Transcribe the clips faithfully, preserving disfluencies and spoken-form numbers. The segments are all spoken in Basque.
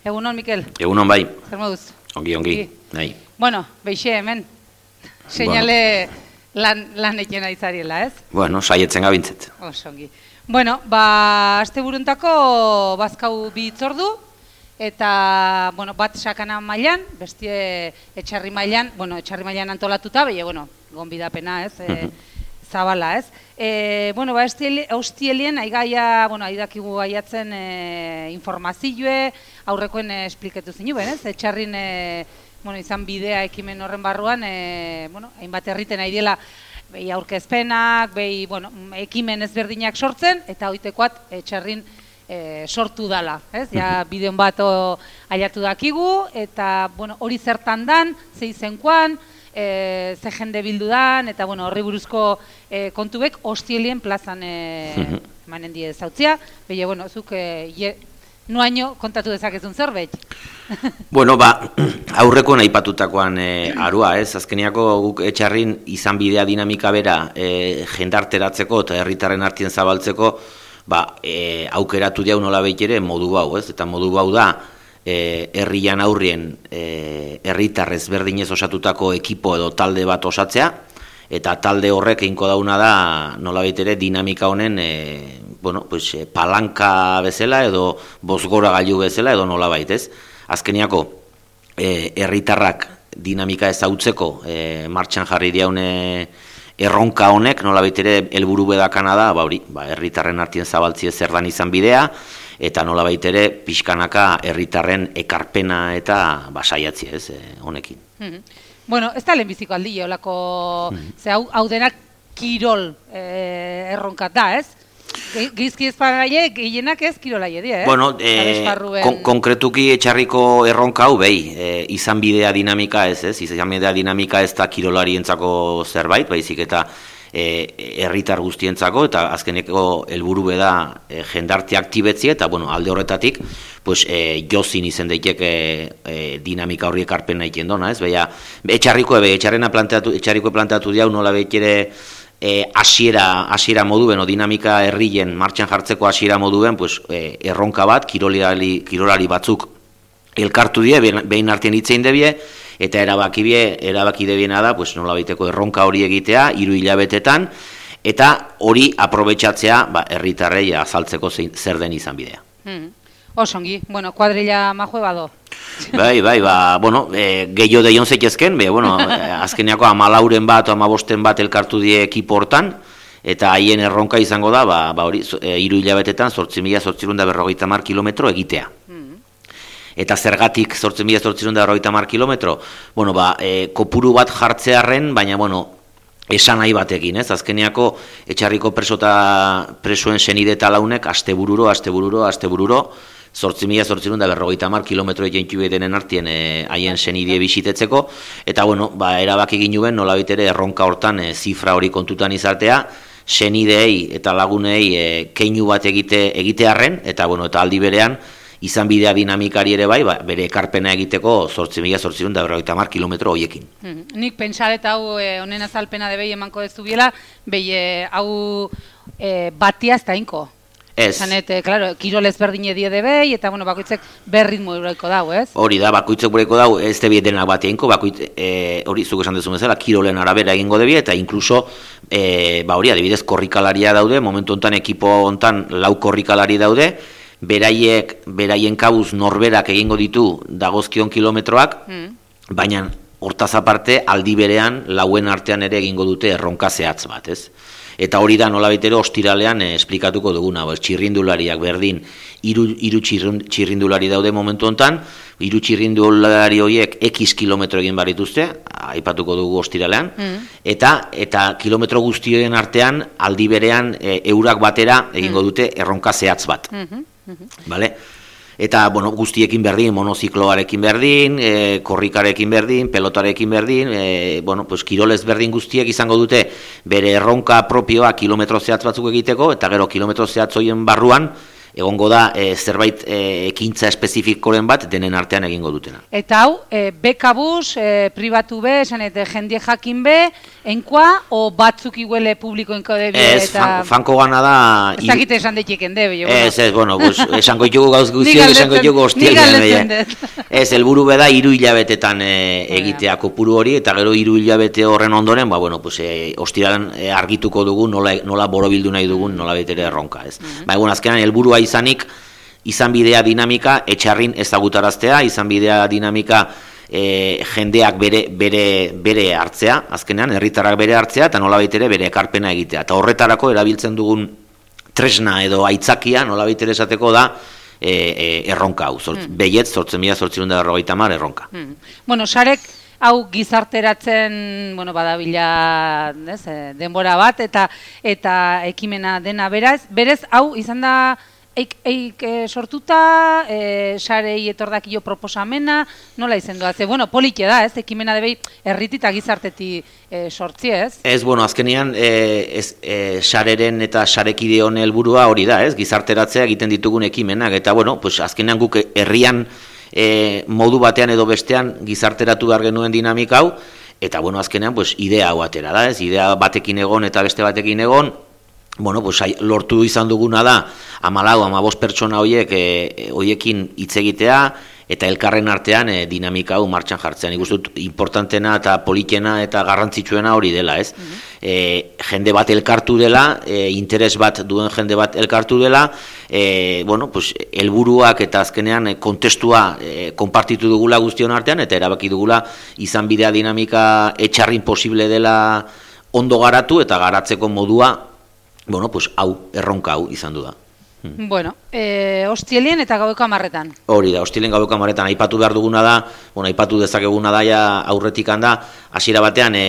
Egunon, Mikel. Egunon bai. Zer moduz? Ongi, ongi. Nahi. Bueno, beixe hemen. Seinale lan, lan eken aitzariela, ez? Bueno, saietzen gabintzet. Oso ongi. Bueno, ba, aste buruntako bazkau bi itzordu, eta, bueno, bat sakana mailan, bestie etxarri mailan, bueno, etxarri mailan antolatuta, behi, bueno, gonbidapena, ez? E, zabala, ez? E, bueno, ba, hostielien, aigaia, bueno, aidakigu gaiatzen e, informazioe, aurrekoen e, espliketu zinu, ben, ez? Etxarrin, e, bueno, izan bidea ekimen horren barruan, e, bueno, hainbat herriten nahi dela, behi aurkezpenak, behi, bueno, ekimen ezberdinak sortzen, eta hoitekoat etxarrin e, sortu dala, ez? Ja, bideon bat aiatu dakigu, eta, bueno, hori zertan dan, ze izenkoan, e, ze jende bildu dan, eta, bueno, horri buruzko e, kontubek hostielien plazan e, manen die zautzia, behi, bueno, zuk e, je, nuaino kontatu dezakezun zerbait. Bueno, ba, aurrekoen aipatutakoan e, arua, ez? Azkeniako guk etxarrin izan bidea dinamika bera e, jendarteratzeko eta herritarren artien zabaltzeko, ba, e, aukeratu diau nola ere modu hau, ez? Eta modu hau da, e, herrian aurrien e, herritarrez berdinez osatutako ekipo edo talde bat osatzea, eta talde horrek einko dauna da nola ere dinamika honen e, bueno, pues, e, palanka bezala edo bozgora gailu bezala edo nola baitez. Azkeniako e, herritarrak dinamika ezautzeko e, martxan jarri diaune erronka honek nola ere helburu bedakana da, ba hori, ba, herritarren artien zabaltzie zer dan izan bidea, eta nola ere pixkanaka herritarren ekarpena eta basaiatzi ez e, honekin. Mm-hmm. Bueno, ez da lehenbiziko aldi, olako, mm-hmm. ze hau, hau denak kirol e, erronkat da, ez? Gizki ezpagaie, gehienak ez kirolaie dira, eh? Bueno, e, kon konkretuki etxarriko erronka hau behi, e, izan bidea dinamika ez, ez? Izan bidea dinamika ez da kirolarientzako zerbait, baizik eta herritar e, guztientzako, eta azkeneko helburu beda e, jendarte aktibetzia, eta bueno, alde horretatik, pues, e, jozin izen daiteke e, dinamika horriek arpen nahi kendona, ez? Beha, etxarriko ebe, etxarrena planteatu, etxarriko planteatu diau nola bekere E, asiera, asiera moduen, o dinamika herrien martxan jartzeko asiera moduen, pues, e, erronka bat, kirolari, kirolari batzuk elkartu die, behin artean hitzein debie, eta erabaki bie, erabaki debiena da, pues, nola baiteko erronka hori egitea, hiru hilabetetan, eta hori aprobetxatzea, ba, herritarrei azaltzeko zein, zer den izan bidea. Hmm. Osongi, bueno, kuadrilla majue bado. Bai, bai, ba, bueno, e, gehiago deion zeitezken, be, bueno, azkeneako amalauren bat o amabosten bat elkartu die ekipo hortan, eta haien erronka izango da, ba, ba hori, e, hiru hilabetetan, zortzi mila zortzirun da berrogeita hamar kilometro egitea. Mm. Eta zergatik zortzi mila zortzirun da berrogeita hamar kilometro? Bueno, ba, e, kopuru bat jartzearren, baina, bueno, esan nahi batekin, ez? Azkeneako etxarriko presota presuen senide eta launek astebururo, astebururo, astebururo, zortzi mila zortzirun da berrogeita hamar kilometro egin denen artien haien e, senidie bisitetzeko, eta bueno, ba, erabaki ginuen nola bitere erronka hortan e, zifra hori kontutan izatea, senideei eta lagunei e, keinu bat egite egitearren, eta bueno, eta aldi berean, izan bidea dinamikari ere bai, ba, bere ekarpena egiteko zortzi mila zortzirun da berrogeita hamar kilometro horiekin. Hmm. Nik pentsaret hau e, honen azalpena de behi emanko dezu biela, behi e, hau e, batia ez da inko. Ez. Zanete, claro, kirol ezberdine die de behi, eta bueno, bakoitzek berritmo eureko dau, ez? Hori da, bakoitzek bureko dau, ez debiet denak bateinko, bakoitz, e, hori zuk esan dezu bezala, kirolen arabera egingo debi, eta inkluso, e, ba hori, adibidez, korrikalaria daude, momentu hontan ekipo hontan lau korrikalari daude, beraiek, beraien kabuz norberak egingo ditu dagozkion kilometroak, mm. baina hortaz aparte, aldi berean, lauen artean ere egingo dute erronka zehatz bat, ez? Eta hori da nola betero ostiralean eh, esplikatuko duguna, pues, txirrindulariak berdin, hiru hiru txirrindulari daude momentu hontan, hiru txirrindulari horiek X kilometro egin barituzte, aipatuko dugu ostiralean, mm. eta eta kilometro guztioen artean aldi berean e, eurak batera egingo dute erronka zehatz bat. Mm-hmm. Mm-hmm. Vale? Eta, bueno, guztiekin berdin, monozikloarekin berdin, e, korrikarekin berdin, pelotarekin berdin, e, bueno, pues, kirolez berdin guztiek izango dute bere erronka propioa kilometro zehatz batzuk egiteko, eta gero kilometro zehatz horien barruan, egongo da e, zerbait e, ekintza espezifikoren bat denen artean egingo dutena. Eta hau, e, bekabuz, e, pribatu be, esan eta jendie jakin be, enkoa, o batzuk iguele publikoenko debi Ez, eta... fan, fanko gana da... Ez dakite esan detiken debi. Ez, ez, bueno, pues, esango ditugu gauz guztiak, esango ditugu hostialean. Ez, helburu beda hiru hilabetetan e, egitea kopuru hori, eta gero hiru hilabete horren ondoren, ba, bueno, pues, e, hostialean e, argituko dugu nola, nola borobildu nahi dugun, nola betere erronka, ez. Mm-hmm. Ba, egun, azkenan, helburua izanik, izan bidea dinamika etxarrin ezagutaraztea, izan bidea dinamika e, jendeak bere, bere, bere hartzea, azkenean, herritarrak bere hartzea, eta nolabait ere bere ekarpena egitea. Eta horretarako erabiltzen dugun tresna edo aitzakia, nolabait ere esateko da, e, e, erronka hau, Zort, mm. behiet, zortzen mila zortzirun da berrogeita hamar erronka. Mm. Bueno, sarek, hau gizarteratzen, bueno, badabila, ez, denbora bat, eta eta ekimena dena beraz, berez, hau izan da, eik, eik e, sortuta, e, sarei etordakio proposamena, nola izan doa, ze, bueno, politxe da, ez, ekimena debei erritita gizarteti e, sortzi, ez? Ez, bueno, azkenian, e, ez, e, sareren eta sarekide honen helburua hori da, ez, gizarteratzea egiten ditugun ekimenak, eta, bueno, pues, azkenean guk herrian, E, modu batean edo bestean gizarteratu behar genuen dinamika hau, eta bueno, azkenean pues, idea hau atera da, ez? Idea batekin egon eta beste batekin egon, bueno, pues, lortu izan duguna da, hamalau, hamabost pertsona horiek e, horiekin hitz egitea, eta elkarren artean e, dinamika hau martxan jartzean. Nik uste dut importantena eta politena eta garrantzitsuena hori dela, ez? Mm-hmm. e, jende bat elkartu dela, e, interes bat duen jende bat elkartu dela, e, bueno, pues, helburuak eta azkenean kontestua e, konpartitu dugula guztion artean, eta erabaki dugula izan bidea dinamika etxarrin posible dela ondo garatu, eta garatzeko modua, bueno, pues, hau, erronka hau izan du da. Hmm. Bueno, e, hostielien eta gaueko amarretan. Hori da, hostielien gaueko amarretan, aipatu behar duguna da, bueno, aipatu dezakeguna da, ja, aurretik handa, hasiera batean, e,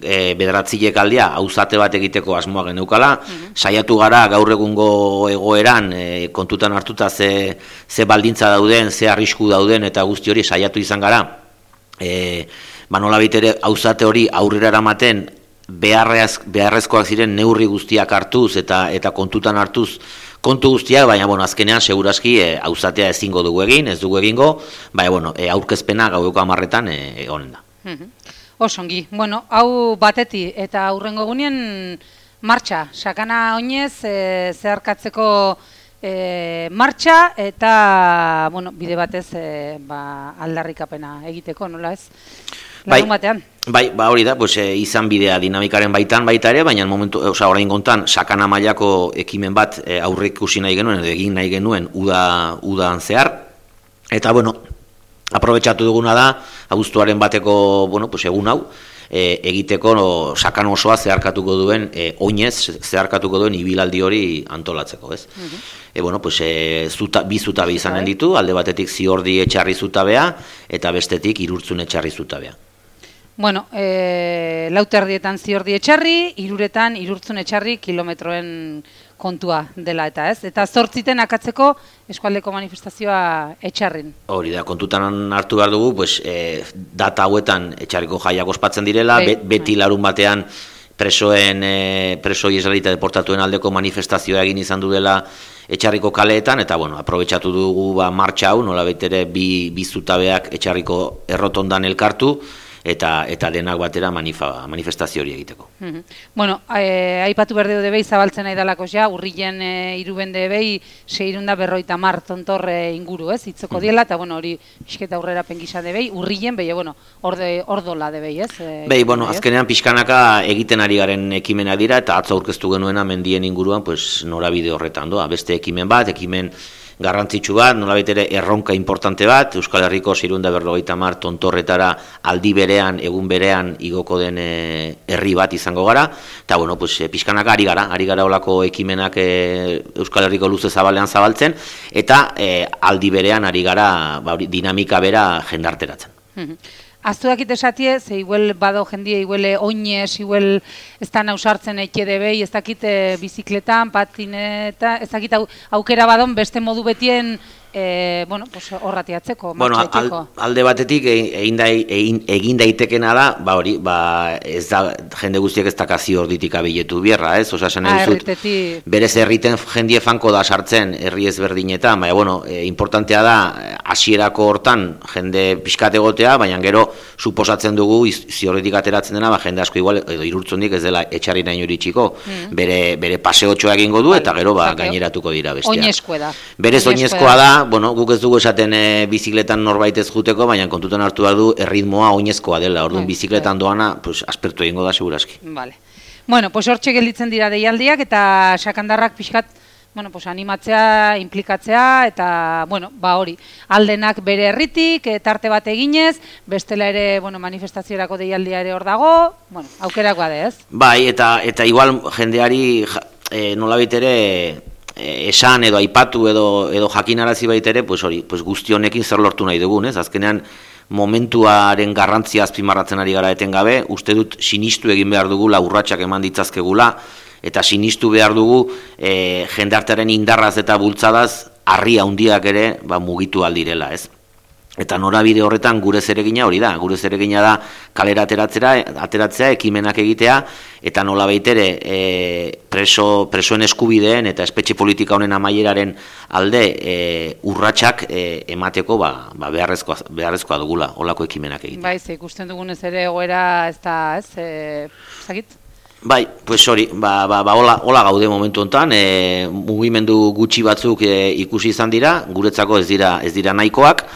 e, bederatzilek aldia, auzate bat egiteko asmoa geneukala, mm-hmm. saiatu gara gaur egungo egoeran, e, kontutan hartuta ze, ze baldintza dauden, ze arrisku dauden, eta guzti hori saiatu izan gara, e, ba nola baitere auzate hori aurrera eramaten, beharrez, beharrezkoak ziren neurri guztiak hartuz, eta, eta kontutan hartuz, kontu guztiak, baina, bueno, azkenean, segurazki, e, auzatea ezingo dugu egin, ez dugu egingo, baina, bueno, e, aurkezpena gaueko amarretan e, egonen da. Mm-hmm. Osongi, bueno, hau bateti, eta aurrengo gunean martxa, sakana oinez, e, zeharkatzeko e, martxa, eta, bueno, bide batez, e, ba, aldarrikapena egiteko, nola ez? Larun batean. Bai, ba hori da, pues, e, izan bidea dinamikaren baitan baita ere, baina momentu, osea, orain gontan sakana mailako ekimen bat e, aurre ikusi nahi genuen edo egin nahi genuen uda udan zehar. Eta bueno, aprobetxatu duguna da abuztuaren bateko, bueno, pues, egun hau e, egiteko no, sakan osoa zeharkatuko duen e, oinez zeharkatuko duen ibilaldi hori antolatzeko, ez? Uh-huh. E, bueno, pues, e, zuta, bi zutabe izanen ditu, alde batetik Ziordi etxarri zutabea eta bestetik Irurtzun etxarri zutabea. Bueno, e, lauterdietan Ziordi etxarri, iruretan Irurtzun etxarri kilometroen kontua dela eta ez. Eta zortziten akatzeko eskualdeko manifestazioa etxarrin. Hori da, kontutan hartu behar dugu, pues, e, data hauetan etxarriko jaiak ospatzen direla, Be, beti larun batean presoen, e, preso israelita deportatuen aldeko manifestazioa egin izan du dela etxarriko kaleetan, eta bueno, aprobetxatu dugu ba, martxa hau, nola baitere bi, bi zutabeak etxarriko errotondan elkartu, eta eta denak batera manifa, manifestazio hori egiteko. Mm-hmm. Bueno, eh, aipatu berde debei zabaltzen nahi dalako ja, urrilen e, iruben debei seirunda berroita mar tontor e, inguru, ez, itzoko mm-hmm. diela, eta bueno, hori pixketa aurrera pengisa debei, urrilen, behi, bueno, orde, ordola debei, ez? E, behi, bueno, azkenean pixkanaka egiten ari garen ekimena dira, eta atzo aurkeztu genuena mendien inguruan, pues, norabide horretan doa, beste ekimen bat, ekimen garrantzitsu bat, nolabait ere erronka importante bat, Euskal Herriko seiehun eta berrogeita hamar tontorretara aldi berean, egun berean igoko den e, herri bat izango gara, eta bueno, pues, e, pixkanaka ari gara, ari gara olako ekimenak e, Euskal Herriko luze zabalean zabaltzen, eta e, aldi berean ari gara ba, dinamika bera jendarteratzen. Mm-hmm. Aztu dakit esatie, ze iguel bado jendie, iguele oinez, iguel ez da nausartzen eke debei, ez dakit bizikletan, patineta, ez dakit au, aukera badon beste modu betien e, bueno, pues, horratiatzeko, bueno, martxaiteko. al, alde batetik egin, da, egin, egin daitekena da, ba hori, ba, ez da, jende guztiek ez dakazi orditik abiletu bierra, ez? Osa, esan ah, duzut, berez herriten jendie fanko da sartzen herri ezberdinetan, baina, bueno, e, importantea da, hasierako hortan jende pixkat egotea, baina gero, suposatzen dugu, ziorritik ateratzen dena, ba, jende asko igual, edo irurtzundik ez dela etxarri nahi hori txiko, mm. bere, bere paseotxoa egingo du, eta gero, ba, gaineratuko dira besteak. Oinezkoa da. Berez oinezkoa da, bueno, guk ez dugu esaten e, bizikletan norbait ez juteko, baina kontutan hartu du erritmoa oinezkoa dela, orduan bai, bizikletan bai. Doana, pues, aspertu egingo da, seguraski. Vale. Bueno, pues hortxe gelditzen dira deialdiak, eta sakandarrak pixkat, bueno, pues animatzea, implikatzea, eta, bueno, ba hori, aldenak bere herritik, tarte bat eginez, bestela ere, bueno, manifestaziorako deialdia ere hor dago, bueno, aukerak bade, ez? Bai, eta, eta igual jendeari e, nolabait ere, esan edo aipatu edo edo jakinarazi baitere, pues hori, pues guzti honekin zer lortu nahi dugun, ez? Azkenean momentuaren garrantzia azpimarratzen ari gara etengabe, uste dut sinistu egin behar dugu urratsak eman ditzazkegula eta sinistu behar dugu e, jendartearen indarraz eta bultzadaz harri handiak ere ba, mugitu aldirela, ez? Eta norabide horretan gure zeregina hori da, gure zeregina da kalera ateratzera, ateratzea, ekimenak egitea, eta nola baitere e, preso, presoen eskubideen eta espetxe politika honen amaieraren alde e, urratsak e, emateko ba, ba beharrezkoa, beharrezkoa dugula, holako ekimenak egitea. Bai, ze ikusten dugunez ere egoera ez da, ez, e, zakit? Bai, pues hori, ba, ba, ba hola, hola gaude momentu honetan, e, mugimendu gutxi batzuk e, ikusi izan dira, guretzako ez dira, ez dira nahikoak,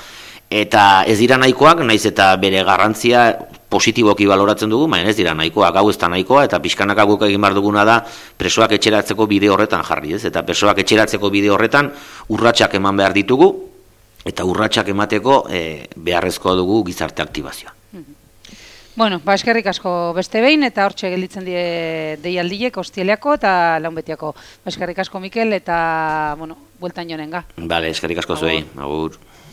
eta ez dira nahikoak, naiz eta bere garrantzia positiboki baloratzen dugu, baina ez dira nahikoak, hau ez da nahikoa, eta pixkanaka guk egin behar duguna da presoak etxeratzeko bide horretan jarri, ez? Eta presoak etxeratzeko bide horretan urratsak eman behar ditugu, eta urratsak emateko e, beharrezkoa dugu gizarte aktibazioa. Bueno, ba, eskerrik asko beste behin, eta hortxe gelditzen die deialdiek, ostieleako eta launbetiako. Ba, eskerrik asko Mikel, eta, bueno, bueltan jonenga. Bale, eskerrik asko zuei, agur.